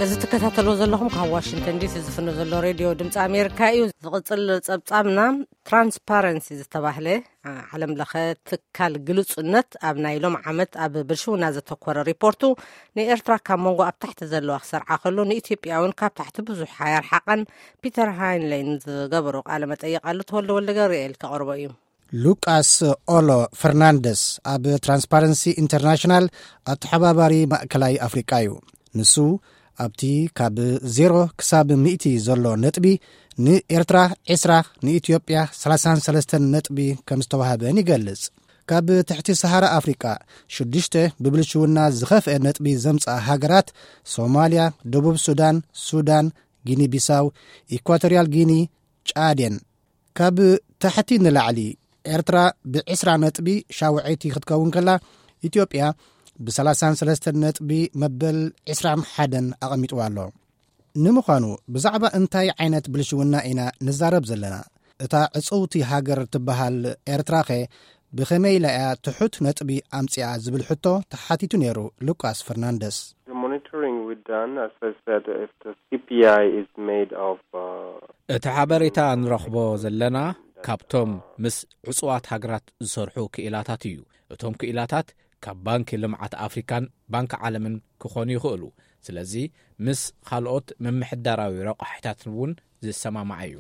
እዚ ትከታተልዎ ዘለኹም ካብ ዋሽንግተን ዲሲ ዝፍኖ ዘሎ ሬድዮ ድምፂ ኣሜሪካ እዩ። ዝቕፅል ጸብጻብና፣ ትራንስፓረንሲ ዝተባህለ ዓለም ለኸ ትካል ግሉጽነት ኣብ ናይ ሎም ዓመት ኣብ ብልሽውና ዘተኮረ ሪፖርቱ፣ ንኤርትራ ካብ መንጎ ኣብ ታሕቲ ዘለዋ ክሰርዓ ከሎ፣ ንኢትዮጵያ እውን ካብ ታሕቲ ብዙሕ ኣየርሓቐን። ፒተር ሃይንሌን ዝገበሮ ቃለ መጠይቕ ኣሎ፣ ተወልደ ወልደ ገብርኤል ከቕርቦ እዩ። ሉቃስ ኦሎ ፈርናንደስ ኣብ ትራንስፓረንሲ ኢንተርናሽናል ኣተሓባባሪ ማእከላይ ኣፍሪቃ እዩ። ንሱ ኣብቲ ካብ ዜሮ ክሳብ ሚእቲ ዘሎ ነጥቢ፣ ንኤርትራ ዕስራ፣ ንኢትዮጵያ ሰላሳን ሰለስተን ነጥቢ ከም ዝተዋህበን ይገልጽ። ካብ ትሕቲ ሰሃራ ኣፍሪቃ ሽዱሽተ ብብልሽውና ዝኸፍአ ነጥቢ ዘምጽኣ ሃገራት፣ ሶማልያ፣ ደቡብ ሱዳን፣ ሱዳን፣ ጊኒ ቢሳው፣ ኢኳቶሪያል ጊኒ፣ ጫዴን። ካብ ታሕቲ ንላዕሊ፣ ኤርትራ ብዕስራ ነጥቢ ሻውዐይቲ ክትከውን ከላ፣ ኢትዮጵያ ብሰላሳን ሰለስተን ነጥቢ መበል ዕስራን ሓደን ኣቐሚጥዋ ኣሎ። ንምዃኑ ብዛዕባ እንታይ ዓይነት ብልሽውና ኢና ንዛረብ ዘለና? እታ ዕጽውቲ ሃገር ትበሃል ኤርትራኸ ብኸመይ ኢላ እያ ትሑት ነጥቢ ኣምጺኣ ዝብል ሕቶ ተሓቲቱ ነይሩ ሉቃስ ፈርናንደስ። The monitoring we done, as I said, if the C P I is made of, uh, እቲ ሓበሬታ ንረኽቦ ዘለና ካብቶም ምስ ዕጹዋት ሃገራት ዝሰርሑ ክኢላታት እዩ። እቶም ክኢላታት ካብ ባንኪ ልምዓት ኣፍሪካን ባንኪ ዓለምን ክኾኑ ይኽእሉ። ስለዚ ምስ ካልኦት ምምሕዳራዊ ረቋሒታት እውን ዝሰማማዕ እዩ።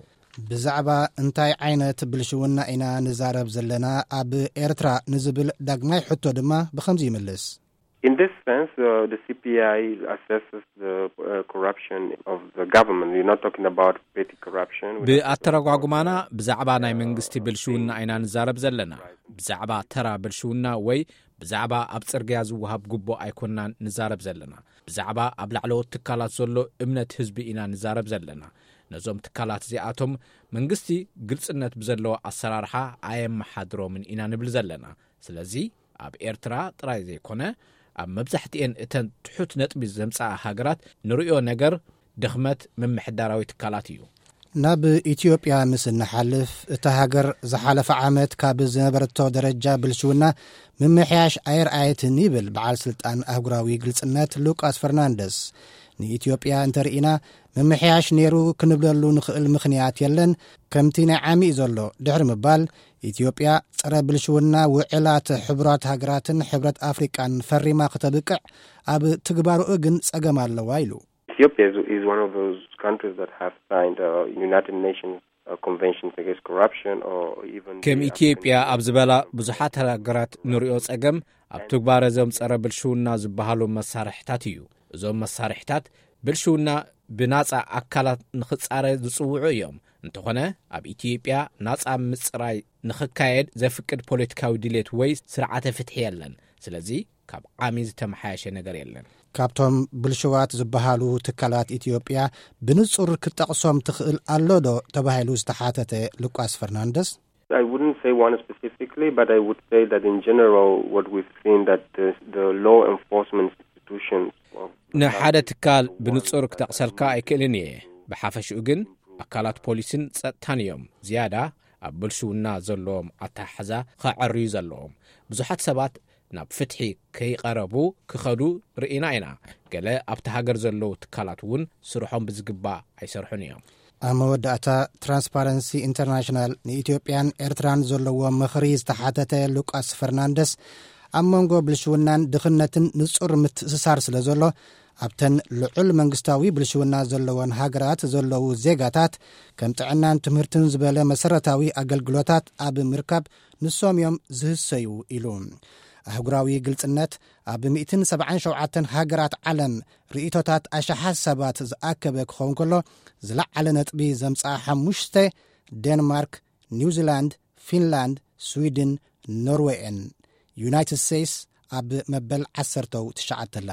ብዛዕባ እንታይ ዓይነት ብልሽውና ኢና ንዛረብ ዘለና ኣብ ኤርትራ ንዝብል ዳግማይ ሕቶ ድማ ብኸምዚ ይምልስ። In this sense, uh, the C P I assesses the, uh, corruption of the government. You're not talking about petty corruption. We're not talking about, ብኣተረጓጉማና፣ uh, ብዛዕባ ናይ መንግስቲ ብልሽውና ኢና ንዛረብ ዘለና። ብዛዕባ ተራ ብልሽውና ወይ ብዛዕባ ኣብ ጽርግያ ዝወሃብ ጉቦ ኣይኮንናን ንዛረብ ዘለና። ብዛዕባ ኣብ ላዕለዎት ትካላት ዘሎ እምነት ህዝቢ ኢና ንዛረብ ዘለና። ነዞም ትካላት እዚኣቶም መንግስቲ ግልጽነት ብዘለዎ ኣሰራርሓ ኣየመሓድሮምን ኢና ንብል ዘለና። ስለዚ ኣብ ኤርትራ ጥራይ ዘይኮነ፣ ኣብ መብዛሕትኤን እተን ትሑት ነጥቢ ዘምጽኣ ሃገራት ንርእዮ ነገር ድኽመት ምምሕዳራዊ ትካላት እዩ። ናብ ኢትዮጵያ ምስ እንሓልፍ፣ እታ ሃገር ዝሓለፈ ዓመት ካብ ዝነበረቶ ደረጃ ብልሽውና ምምሕያሽ ኣየርኣየትን ይብል በዓል ስልጣን ኣህጉራዊ ግልጽነት ሉቃስ ፈርናንደስ። ንኢትዮጵያ እንተርኢና፣ ምምሕያሽ ነይሩ ክንብለሉ ንኽእል ምኽንያት የለን። ከምቲ ናይ ዓሚ እዩ ዘሎ ድሕሪ ምባል፣ ኢትዮጵያ ጸረ ብልሽውና ውዕላት ሕቡራት ሃገራትን ሕብረት ኣፍሪቃን ፈሪማ ክተብቅዕ፣ ኣብ ትግባርኡ ግን ጸገም ኣለዋ ኢሉ። Ethiopia is, is one of those countries that have signed, uh, United Nations, uh, Conventions Against Corruption, or even ከም the ኢትዮጵያ African ኣብ ዝበላ ብዙሓት ሃገራት ንሪኦ ጸገም ኣብ ትግባረ እዞም ጸረ ብልሽውና ዝበሃሉ መሳርሕታት እዩ። እዞም መሳርሕታት ብልሽውና ብናጻ ኣካላት ንኽጻረ ዝጽውዑ እዮም። እንተኾነ፣ ኣብ ኢትዮጵያ ናጻ ምጽራይ ንኽካየድ ዘፍቅድ ፖለቲካዊ ድሌት ወይ ስርዓተ ፍትሒ የለን። ስለዚ፣ ካብ ዓሚ ዝተመሓየሸ ነገር የለን። ካብቶም ብልሽዋት ዝበሃሉ ትካላት ኢትዮጵያ ብንጹር ክትጠቕሶም ትኽእል ኣሎ ዶ ተባሂሉ ዝተሓተተ ሉቃስ ፈርናንደስ፣ I wouldn't say one specifically, but I would say that in general, what we've seen, that the, the law enforcement institutions of ንሓደ ትካል ብንጹር ክጠቕሰልካ ኣይክእልን እየ። ብሓፈሽኡ ግን፣ ኣካላት ፖሊስን ጸጥታን እዮም ዝያዳ ኣብ ብልሽውና ዘለዎም ኣተሓሕዛ ኸዐርዩ ዘለዎም። ብዙሓት ሰባት ናብ ፍትሒ ከይቐረቡ ክኸዱ ርኢና ኢና። ገለ ኣብቲ ሃገር ዘለዉ ትካላት እውን ስርሖም ብዝግባእ ኣይሰርሑን እዮም። ኣብ መወዳእታ፣ ትራንስፓረንሲ ኢንተርናሽናል ንኢትዮጵያን ኤርትራን ዘለዎ ምኽሪ ዝተሓተተ ሉቃስ ፈርናንደስ፣ ኣብ መንጎ ብልሽውናን ድኽነትን ንጹር ምትእስሳር ስለ ዘሎ፣ ኣብተን ልዑል መንግስታዊ ብልሽውና ዘለወን ሃገራት ዘለዉ ዜጋታት፣ ከም ጥዕናን ትምህርትን ዝበለ መሰረታዊ ኣገልግሎታት ኣብ ምርካብ ንሶም እዮም ዝህሰዩ ኢሉ። ኣህጉራዊ ግልጽነት ኣብ ሚእትን ሰብዓን ሸውዓተን ሃገራት ዓለም ርእይቶታት ኣሽሓት ሰባት ዝኣከበ ክኸውን ከሎ፣ ዝለዓለ ነጥቢ ዘምጽኣ ሓሙሽተ፣ ዴንማርክ፣ ኒውዚላንድ፣ ፊንላንድ፣ ስዊድን፣ ኖርዌ እየን። ዩናይትድ ስቴትስ ኣብ መበል ዓሰርተው ትሽዓተ ኣላ።